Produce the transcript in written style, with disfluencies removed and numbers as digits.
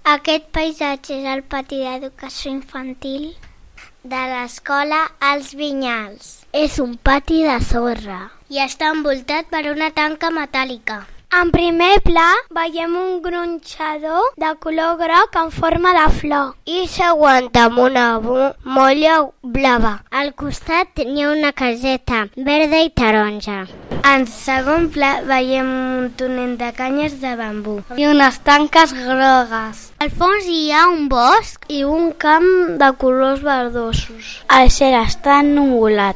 Aquest paisatge és el pati d'educació infantil de l'escola Els Vinyals. És un pati de sorra i està envoltat per una tanca metàl·lica. En primer pla veiem un gronxador de color groc en forma de flor i s'aguanta amb una molla blava. Al costat hi ha una caseta verda i taronja. En segon pla veiem un túnel de canyes de bambú i unes tanques grogues. Al fons hi ha un bosc i un camp de colors verdosos. El cel està ennuvolat